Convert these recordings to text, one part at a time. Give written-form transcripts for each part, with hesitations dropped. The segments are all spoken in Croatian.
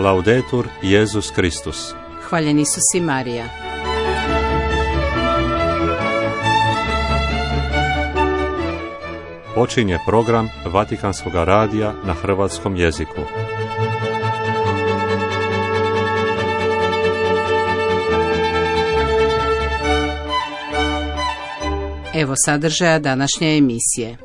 Laudetur Jesus Christus. Hvaljen Isus i Marija. Počinje program Vatikanskog radija na hrvatskom jeziku. Evo sadržaja današnje emisije.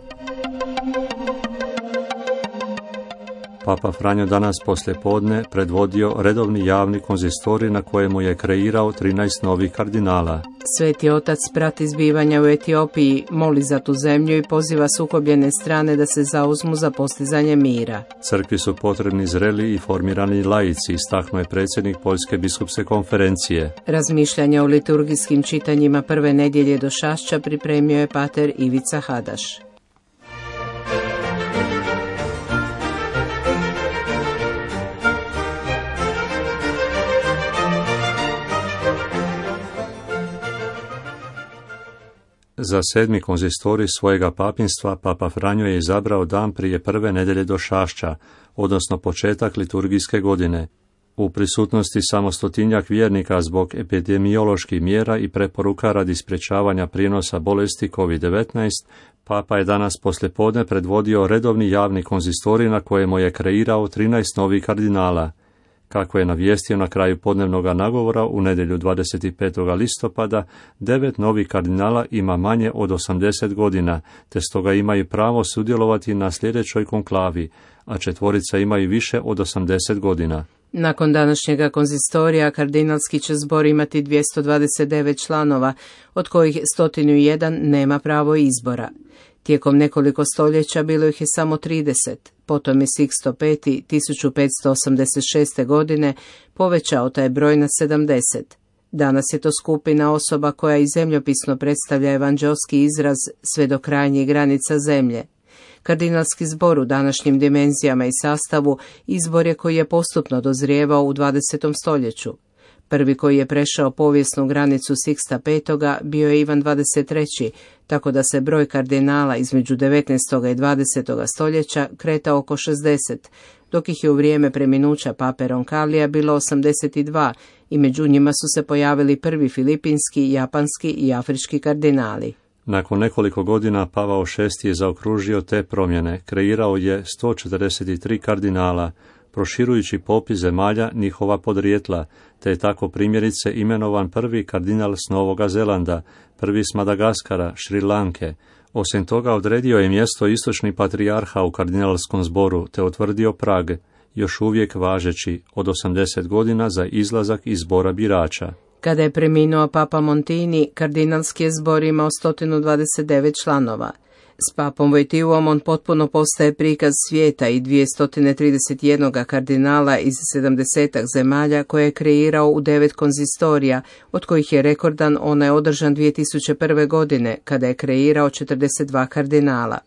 Papa Franjo danas poslijepodne predvodio redovni javni konzistorij na kojemu je kreirao 13 novih kardinala. Sveti otac prati zbivanja u Etiopiji, moli za tu zemlju i poziva sukobljene strane da se zauzmu za postizanje mira. Crkvi su potrebni zreli i formirani laici, istaknuo je predsjednik Poljske biskupske konferencije. Razmišljanja o liturgijskim čitanjima prve nedjelje Došašća pripremio je pater Ivica Hadaš. Za 7. konzistorij svojega papinstva Papa Franjo je izabrao dan prije prve nedjelje Došašća, odnosno početak liturgijske godine. U prisutnosti samo 100-tinjak vjernika zbog epidemioloških mjera i preporuka radi sprječavanja prijenosa bolesti COVID-19, Papa je danas poslijepodne predvodio redovni javni konzistorij na kojemu je kreirao 13 novih kardinala. Kako je navijestio na kraju podnevnog nagovora u nedjelju 25. listopada, 9 novih kardinala ima manje od 80 godina, te stoga imaju pravo sudjelovati na sljedećoj konklavi, a 4 imaju više od 80 godina. Nakon današnjega konzistorija, kardinalski će zbor imati 229 članova, od kojih 101 nema pravo izbora. Tijekom nekoliko stoljeća bilo ih je samo 30, potom je Sixto V 1586. godine povećao taj broj na 70. Danas je to skupina osoba koja i zemljopisno predstavlja evanđelski izraz sve do krajnjih granica zemlje. Kardinalski zbor u današnjim dimenzijama i sastavu izbor je koji je postupno dozrijevao u 20. stoljeću. Prvi koji je prešao povijesnu granicu Sixta V bio je Ivan XXIII, tako da se broj kardinala između 19. i 20. stoljeća kreta oko 60, dok ih je u vrijeme preminuća pape Roncallija bilo 82 i među njima su se pojavili prvi filipinski, japanski i afrički kardinali. Nakon nekoliko godina Pavao VI je zaokružio te promjene, kreirao je 143 kardinala, proširujući popis zemalja njihova podrijetla, te je tako primjerice imenovan prvi kardinal s Novoga Zelanda, prvi s Madagaskara, Šri Lanke. Osim toga odredio je mjesto istočni patrijarha u kardinalskom zboru, te utvrdio prag, još uvijek važeći, od 80 godina za izlazak iz zbora birača. Kada je preminuo papa Montini, kardinalski je zbor imao 129 članova. S papom Vojtivom on potpuno postaje prikaz svijeta i 231 kardinala iz 70 zemalja koje je kreirao u 9 konzistorija, od kojih je rekordan onaj održan 2001. godine, kada je kreirao 42 kardinala.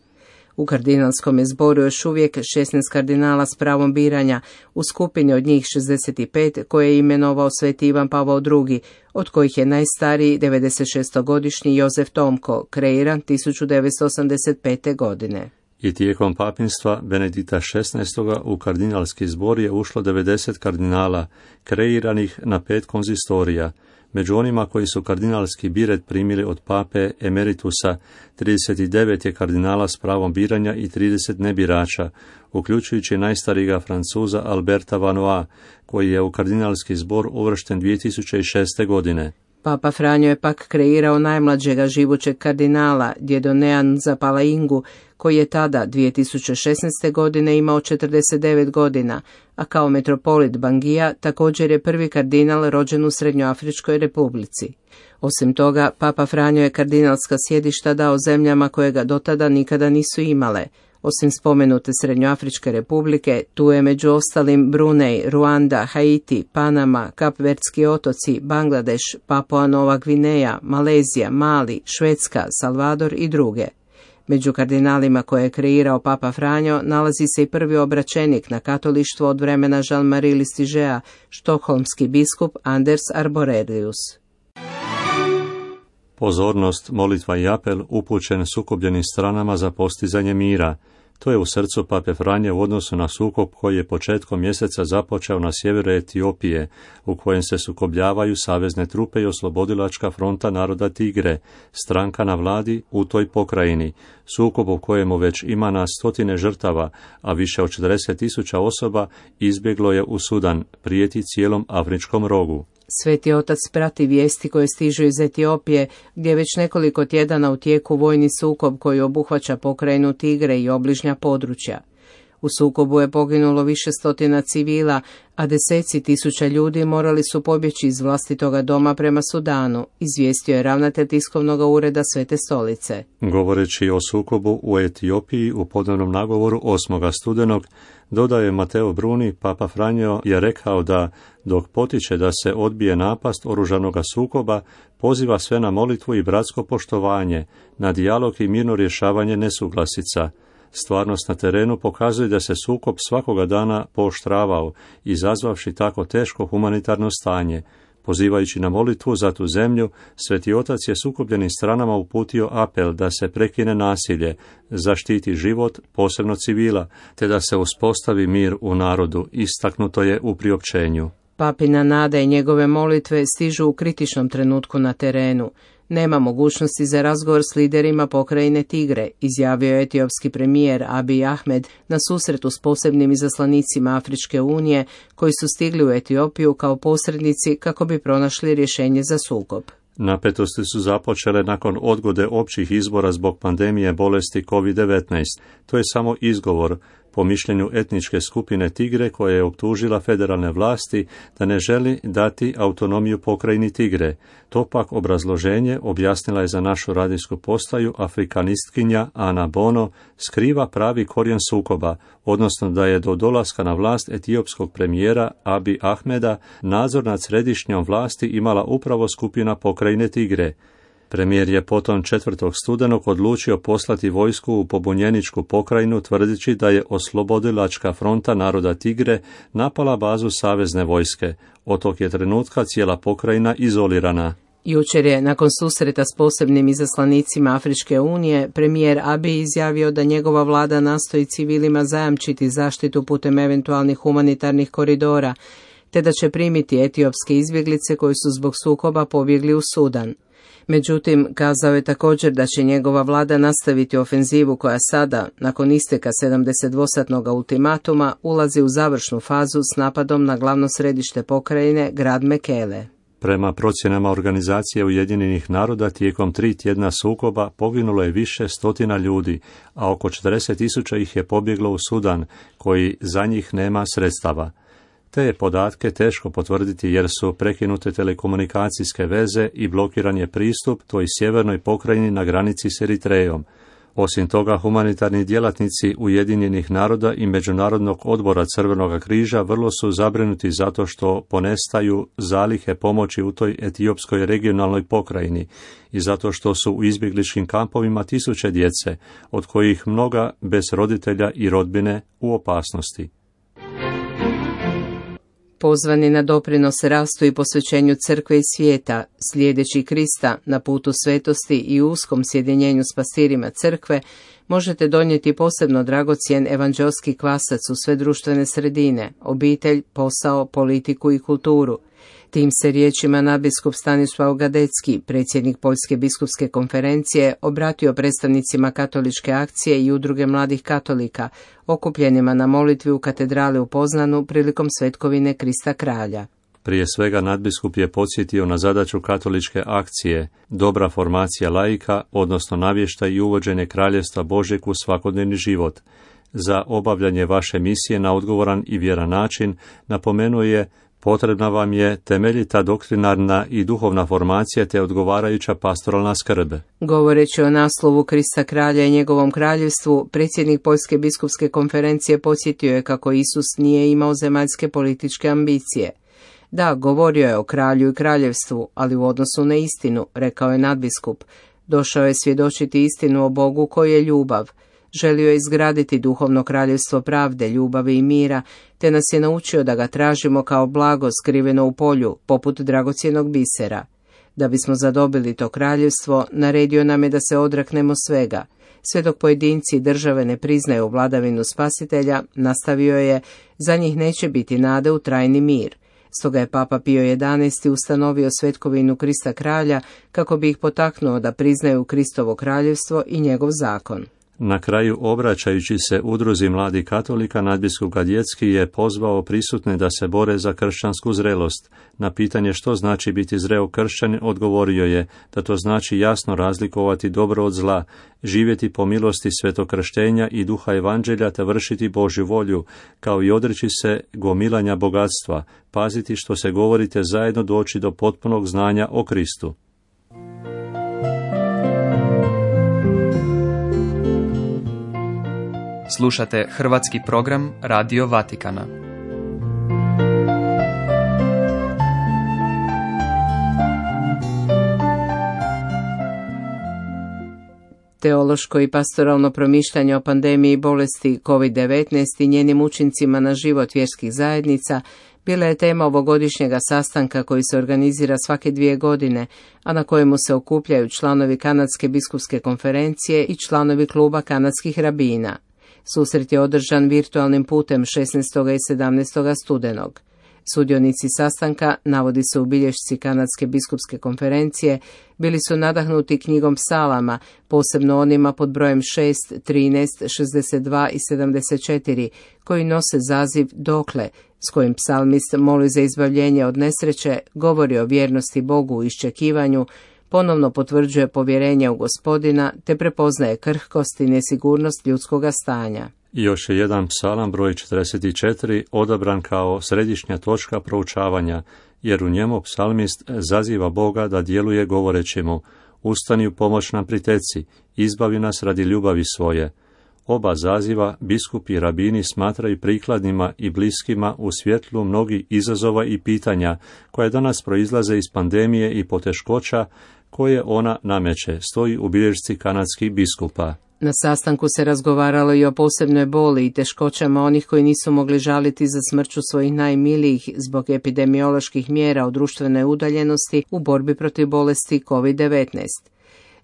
U kardinalskom je zboru još uvijek 16 kardinala s pravom biranja, u skupini od njih 65 koje je imenovao sveti Ivan Pavao II, od kojih je najstariji 96-godišnji Jozef Tomko, kreiran 1985. godine. I tijekom papinstva Benedikta XVI. U kardinalski zbor je ušlo 90 kardinala, kreiranih na 5 konzistorija. Među onima koji su kardinalski biret primili od pape emeritusa, 39 je kardinala s pravom biranja i 30 nebirača, uključujući najstarijega Francuza Alberta Vanoa, koji je u kardinalski zbor uvršten 2006. godine. Papa Franjo je pak kreirao najmlađega živućeg kardinala, Djedonean Zapalaingu, koji je tada 2016. godine imao 49 godina, a kao metropolit Bangija također je prvi kardinal rođen u Srednjoafričkoj republici. Osim toga, Papa Franjo je kardinalska sjedišta dao zemljama koje ga dotada nikada nisu imale. Osim spomenute Srednjoafričke republike, tu je među ostalim Brunei, Ruanda, Haiti, Panama, Kapverdski otoci, Bangladeš, Papua Nova Gvineja, Malezija, Mali, Švedska, Salvador i druge. Među kardinalima koje je kreirao Papa Franjo nalazi se i prvi obraćenik na katolištvo od vremena Jean-Marie Listigea, štokholmski biskup Anders Arborelius. Pozornost, molitva i apel upućen sukobljenim stranama za postizanje mira. To je u srcu pape Franje u odnosu na sukob koji je početkom mjeseca započeo na sjeveru Etiopije, u kojem se sukobljavaju savezne trupe i oslobodilačka fronta naroda Tigre, stranka na vladi u toj pokrajini, sukob u kojemu već ima na stotine žrtava, a više od 40.000 osoba izbjeglo je u Sudan, prijeti cijelom afričkom rogu. Sveti otac prati vijesti koje stižu iz Etiopije, gdje već nekoliko tjedana u tijeku vojni sukob koji obuhvaća pokrajinu Tigre i obližnja područja. U sukobu je poginulo više stotina civila, a deseci tisuća ljudi morali su pobjeći iz vlastitoga doma prema Sudanu, izvijestio je ravnatelj tiskovnog ureda Svete stolice. Govoreći o sukobu u Etiopiji u podnevnom nagovoru 8. studenog, dodaje Mateo Bruni, papa Franjo je rekao da, dok potiče da se odbije napast oružanoga sukoba, poziva sve na molitvu i bratsko poštovanje, na dijalog i mirno rješavanje nesuglasica. Stvarnost na terenu pokazuje da se sukob svakoga dana pooštravao, izazvavši tako teško humanitarno stanje. Pozivajući na molitvu za tu zemlju, Sveti otac je sukobljenim stranama uputio apel da se prekine nasilje, zaštiti život, posebno civila, te da se uspostavi mir u narodu, istaknuto je u priopćenju. Papina nada i njegove molitve stižu u kritičnom trenutku na terenu. Nema mogućnosti za razgovor s liderima pokrajine Tigre, izjavio je etiopski premijer Abiy Ahmed na susretu s posebnim izaslanicima Afričke unije koji su stigli u Etiopiju kao posrednici kako bi pronašli rješenje za sukob. Napetosti su započele nakon odgode općih izbora zbog pandemije bolesti COVID-19. To je samo izgovor, po mišljenju etničke skupine Tigre, koja je optužila federalne vlasti da ne želi dati autonomiju pokrajini Tigre. To pak obrazloženje, objasnila je za našu radijsku postaju afrikanistkinja Ana Bono, skriva pravi korijen sukoba, odnosno da je do dolaska na vlast etiopskog premijera Abiy Ahmeda nadzor nad središnjom vlasti imala upravo skupina pokrajine Tigre. Premijer je potom 4. studenog odlučio poslati vojsku u pobunjeničku pokrajinu tvrdeći da je oslobodilačka fronta naroda Tigre napala bazu savezne vojske. Od tog je trenutka cijela pokrajina izolirana. Jučer je, nakon susreta s posebnim izaslanicima Afričke unije, premijer Abiy izjavio da njegova vlada nastoji civilima zajamčiti zaštitu putem eventualnih humanitarnih koridora, te da će primiti etiopske izbjeglice koji su zbog sukoba pobjegli u Sudan. Međutim, kazao je također da će njegova vlada nastaviti ofenzivu koja sada, nakon isteka 72-satnog ultimatuma, ulazi u završnu fazu s napadom na glavno središte pokrajine, grad Mekele. Prema procjenama Organizacije Ujedinjenih naroda, tijekom 3 tjedna sukoba poginulo je više stotina ljudi, a oko 40.000 ih je pobjeglo u Sudan, koji za njih nema sredstava. Te je podatke teško potvrditi jer su prekinute telekomunikacijske veze i blokiran je pristup toj sjevernoj pokrajini na granici s Eritrejom. Osim toga, humanitarni djelatnici Ujedinjenih naroda i Međunarodnog odbora Crvenoga križa vrlo su zabrinuti zato što ponestaju zalihe pomoći u toj etiopskoj regionalnoj pokrajini i zato što su u izbjegličkim kampovima tisuće djece, od kojih mnoga bez roditelja i rodbine u opasnosti. Pozvani na doprinos rastu i posvećenju crkve i svijeta, slijedeći Krista na putu svetosti i uskom sjedinjenju s pastirima crkve, možete donijeti posebno dragocjen evanđelski kvasac u sve društvene sredine, obitelj, posao, politiku i kulturu. Tim se riječima nadbiskup Stanislav Gadecki, predsjednik Poljske biskupske konferencije, obratio predstavnicima katoličke akcije i udruge mladih katolika, okupljenima na molitvi u katedrali u Poznanu prilikom svetkovine Krista kralja. Prije svega nadbiskup je podsjetio na zadaću katoličke akcije, dobra formacija laika, odnosno navještaj i uvođenje kraljevstva Božjeg u svakodnevni život. Za obavljanje vaše misije na odgovoran i vjeran način, napomenuo je, potrebna vam je temeljita doktrinarna i duhovna formacija te odgovarajuća pastoralna skrb. Govoreći o naslovu Krista kralja i njegovom kraljevstvu, predsjednik Poljske biskupske konferencije podsjetio je kako Isus nije imao zemaljske političke ambicije. Da, govorio je o kralju i kraljevstvu, ali u odnosu na istinu, rekao je nadbiskup. Došao je svjedočiti istinu o Bogu koji je ljubav. Želio je izgraditi duhovno kraljevstvo pravde, ljubavi i mira, te nas je naučio da ga tražimo kao blago skriveno u polju, poput dragocjenog bisera. Da bismo zadobili to kraljevstvo, naredio nam je da se odreknemo svega. Sve dok pojedinci i države ne priznaju vladavinu Spasitelja, nastavio je, za njih neće biti nade u trajni mir. Stoga je Papa Pio XI ustanovio svetkovinu Krista kralja kako bi ih potaknuo da priznaju Kristovo kraljevstvo i njegov zakon. Na kraju, obraćajući se udruzi mladih katolika, nadbiskup Gadjecki je pozvao prisutne da se bore za kršćansku zrelost. Na pitanje što znači biti zreo kršćanin, odgovorio je da to znači jasno razlikovati dobro od zla, živjeti po milosti svetokrštenja i duha evanđelja te vršiti Božju volju, kao i odreći se gomilanja bogatstva, paziti što se govorite zajedno doći do potpunog znanja o Kristu. Slušate hrvatski program Radio Vatikana. Teološko i pastoralno promišljanje o pandemiji bolesti COVID-19 i njenim učincima na život vjerskih zajednica bila je tema ovogodišnjega sastanka koji se organizira svake 2 godine, a na kojemu se okupljaju članovi Kanadske biskupske konferencije i članovi kluba kanadskih rabina. Susret je održan virtualnim putem 16. i 17. studenog. Sudionici sastanka, navodi se u bilješci Kanadske biskupske konferencije, bili su nadahnuti knjigom psalama, posebno onima pod brojem 6, 13, 62 i 74, koji nose zaziv Dokle, s kojim psalmist moli za izbavljenje od nesreće, govori o vjernosti Bogu u iščekivanju, ponovno potvrđuje povjerenje u Gospodina te prepoznaje krhkost i nesigurnost ljudskoga stanja. Još je jedan psalam broj 44 odabran kao središnja točka proučavanja, jer u njemu psalmist zaziva Boga da djeluje govoreći mu: ustani u pomoć nam priteci, izbavi nas radi ljubavi svoje. Oba zaziva biskupi i rabini smatraju prikladnima i bliskima u svjetlu mnogih izazova i pitanja koje danas proizlaze iz pandemije i poteškoća koje ona nameće, stoji u bilješci kanadskih biskupa. Na sastanku se razgovaralo i o posebnoj boli i teškoćama onih koji nisu mogli žaliti za smrću svojih najmilijih zbog epidemioloških mjera o društvenoj udaljenosti u borbi protiv bolesti COVID-19.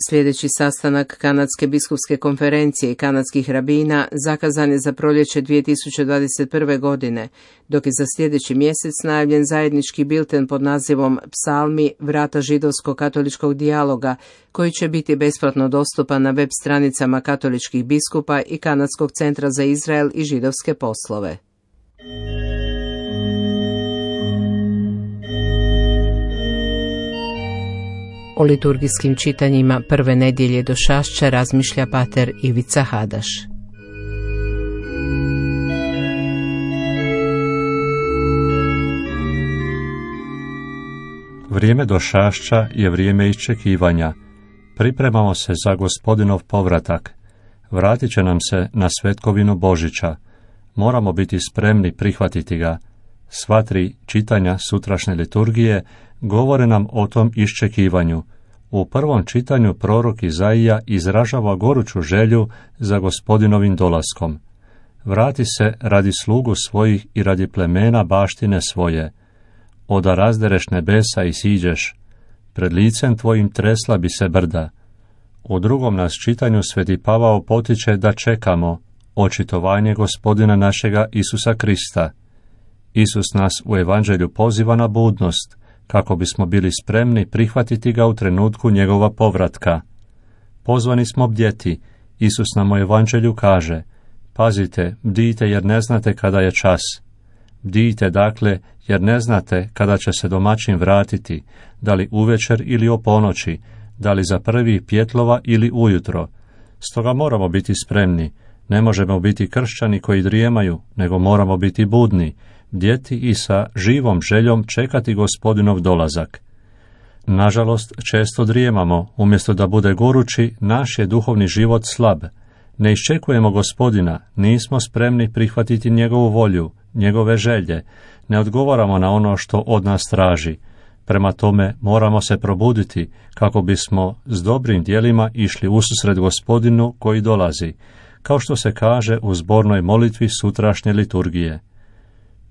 Sljedeći sastanak Kanadske biskupske konferencije i kanadskih rabina zakazan je za proljeće 2021. godine, dok je za sljedeći mjesec najavljen zajednički bilten pod nazivom Psalmi, vrata židovsko-katoličkog dijaloga, koji će biti besplatno dostupan na web stranicama katoličkih biskupa i Kanadskog centra za Izrael i židovske poslove. O liturgijskim čitanjima prve nedjelje Došašća razmišlja pater Ivica Hadaš. Vrijeme Došašća je vrijeme iščekivanja. Pripremamo se za Gospodinov povratak. Vratit će nam se na svetkovinu Božića. Moramo biti spremni prihvatiti ga. Sva 3 čitanja sutrašnje liturgije govore nam o tom iščekivanju. U prvom čitanju prorok Izaija izražava goruću želju za Gospodinovim dolaskom. Vrati se radi slugu svojih i radi plemena baštine svoje. Oda razdereš nebesa i siđeš. Pred licem tvojim tresla bi se brda. U drugom nas čitanju sveti Pavao potiče da čekamo očitovanje Gospodina našega Isusa Krista. Isus nas u evanđelju poziva na budnost, kako bismo bili spremni prihvatiti ga u trenutku njegova povratka. Pozvani smo bdjeti. Isus nam u evanđelju kaže: pazite, bdijte jer ne znate kada je čas. Bdijte dakle jer ne znate kada će se domaćin vratiti, da li uvečer ili o ponoći, da li za prvih pjetlova ili ujutro. Stoga moramo biti spremni. Ne možemo biti kršćani koji drijemaju, nego moramo biti budni, bdjeti i sa živom željom čekati Gospodinov dolazak. Nažalost, često drijemamo, umjesto da bude gorući, naš je duhovni život slab. Ne iščekujemo Gospodina, nismo spremni prihvatiti njegovu volju, njegove želje, ne odgovaramo na ono što od nas traži. Prema tome moramo se probuditi kako bismo s dobrim djelima išli ususret Gospodinu koji dolazi, kao što se kaže u zbornoj molitvi sutrašnje liturgije.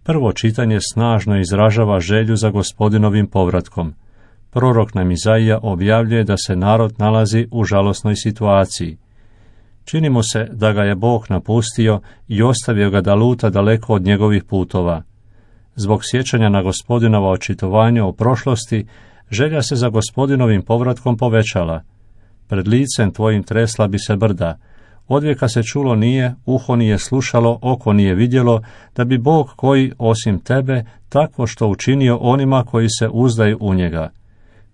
Prvo čitanje snažno izražava želju za Gospodinovim povratkom. prorok nam Izaija objavljuje da se narod nalazi u žalosnoj situaciji. Čini mu se da ga je Bog napustio i ostavio ga da luta daleko od njegovih putova. Zbog sjećanja na Gospodinova očitovanja o prošlosti, želja se za Gospodinovim povratkom povećala. Pred licem tvojim tresla bi se brda. Odvijeka se čulo nije, uho nije slušalo, oko nije vidjelo, da bi Bog koji, osim tebe, takvo što učinio onima koji se uzdaju u njega.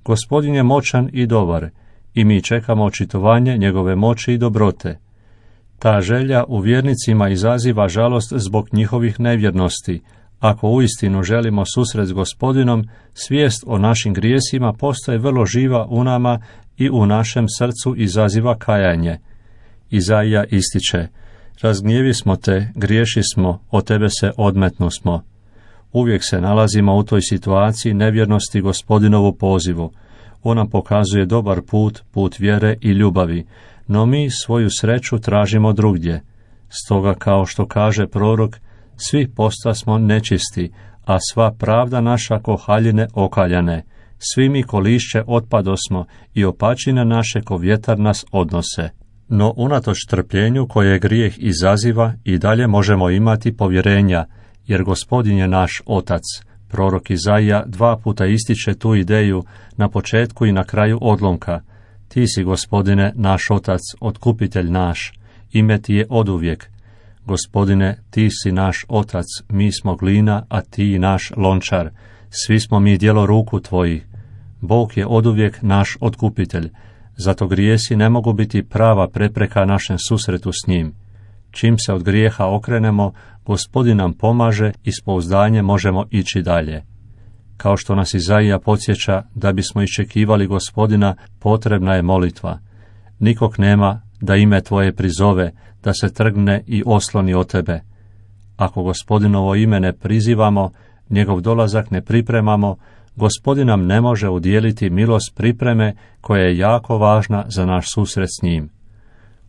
Gospodin je moćan i dobar, i mi čekamo očitovanje njegove moći i dobrote. Ta želja u vjernicima izaziva žalost zbog njihovih nevjernosti. Ako uistinu želimo susret s Gospodinom, svijest o našim grijesima postaje vrlo živa u nama i u našem srcu izaziva kajanje. Izaija ističe: razgnjevi smo te, griješi smo, od tebe se odmetnu smo. Uvijek se nalazimo u toj situaciji nevjernosti Gospodinovu pozivu. On nam pokazuje dobar put, put vjere i ljubavi, no mi svoju sreću tražimo drugdje. Stoga, kao što kaže prorok, svi postasmo nečisti, a sva pravda naša ko haljine okaljane. Svi mi ko lišće otpadosmo i opačine naše ko vjetar nas odnose. No unatoč trpljenju koje grijeh izaziva i dalje možemo imati povjerenja, jer Gospodin je naš Otac. Prorok Izaija 2 puta ističe tu ideju na početku i na kraju odlomka. Ti si, Gospodine, naš Otac, otkupitelj naš, ime ti je oduvijek. Gospodine, ti si naš Otac, mi smo glina, a ti naš lončar. Svi smo mi djelo ruku tvojih. Bog je oduvijek naš otkupitelj, zato grijesi ne mogu biti prava prepreka našem susretu s njim. Čim se od grijeha okrenemo, Gospodin nam pomaže i s pouzdanjem možemo ići dalje. Kao što nas Izaija podsjeća da bismo iščekivali Gospodina, potrebna je molitva. Nikog nema da ime tvoje prizove, da se trgne i osloni od tebe. Ako Gospodinovo ime ne prizivamo, njegov dolazak ne pripremamo, Gospodin nam ne može udijeliti milost pripreme koja je jako važna za naš susret s njim.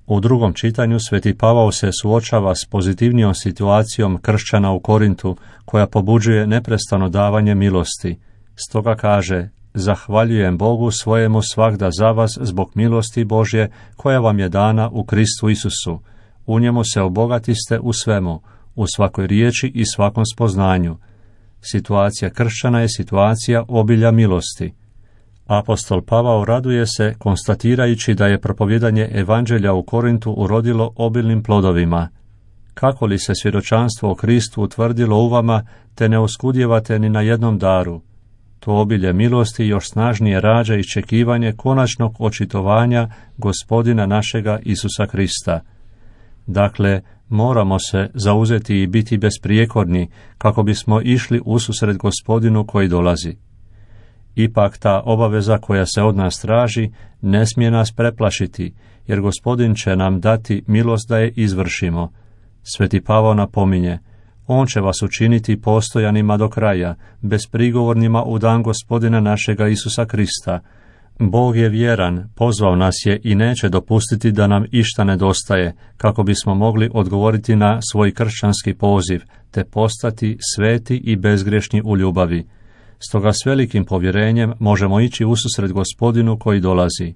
U drugom čitanju Sveti Pavao se suočava s pozitivnijom situacijom kršćana u Korintu, koja pobuđuje neprestano davanje milosti. Stoga kaže: zahvaljujem Bogu svojemu svagda za vas zbog milosti Božje koja vam je dana u Kristu Isusu. U njemu se obogatiste u svemu, u svakoj riječi i svakom spoznanju. Situacija kršćana je situacija obilja milosti. Apostol Pavao raduje se konstatirajući da je propovjedanje evanđelja u Korintu urodilo obilnim plodovima. Kako li se svjedočanstvo o Kristu utvrdilo u vama, te ne oskudjevate ni na jednom daru? To obilje milosti još snažnije rađa iščekivanje konačnog očitovanja Gospodina našega Isusa Krista. Dakle, moramo se zauzeti i biti besprijekorni kako bismo išli ususret Gospodinu koji dolazi. Ipak ta obaveza koja se od nas traži ne smije nas preplašiti, jer Gospodin će nam dati milost da je izvršimo. Sveti Pavao napominje: on će vas učiniti postojanima do kraja, besprigovornima u dan Gospodina našega Isusa Krista. Bog je vjeran, pozvao nas je i neće dopustiti da nam išta nedostaje, kako bismo mogli odgovoriti na svoj kršćanski poziv, te postati sveti i bezgrešni u ljubavi. Stoga s velikim povjerenjem možemo ići ususret Gospodinu koji dolazi.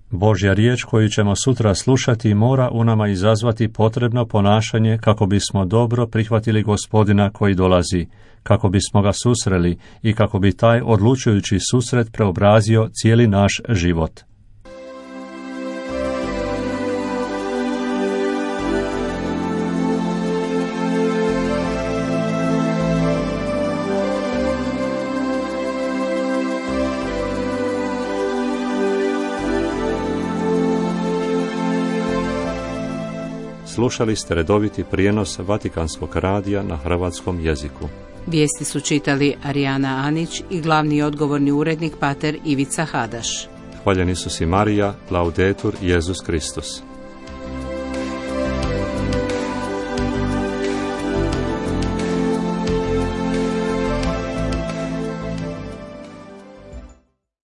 Božja riječ koju ćemo sutra slušati mora u nama izazvati potrebno ponašanje kako bismo dobro prihvatili Gospodina koji dolazi, kako bismo ga susreli i kako bi taj odlučujući susret preobrazio cijeli naš život. Slušali ste redoviti prijenos Vatikanskog radija na hrvatskom jeziku. Vijesti su čitali Arijana Anić i glavni odgovorni urednik pater Ivica Hadaš. Hvaljen Isus i Marija, laudetur Jesus Kristus.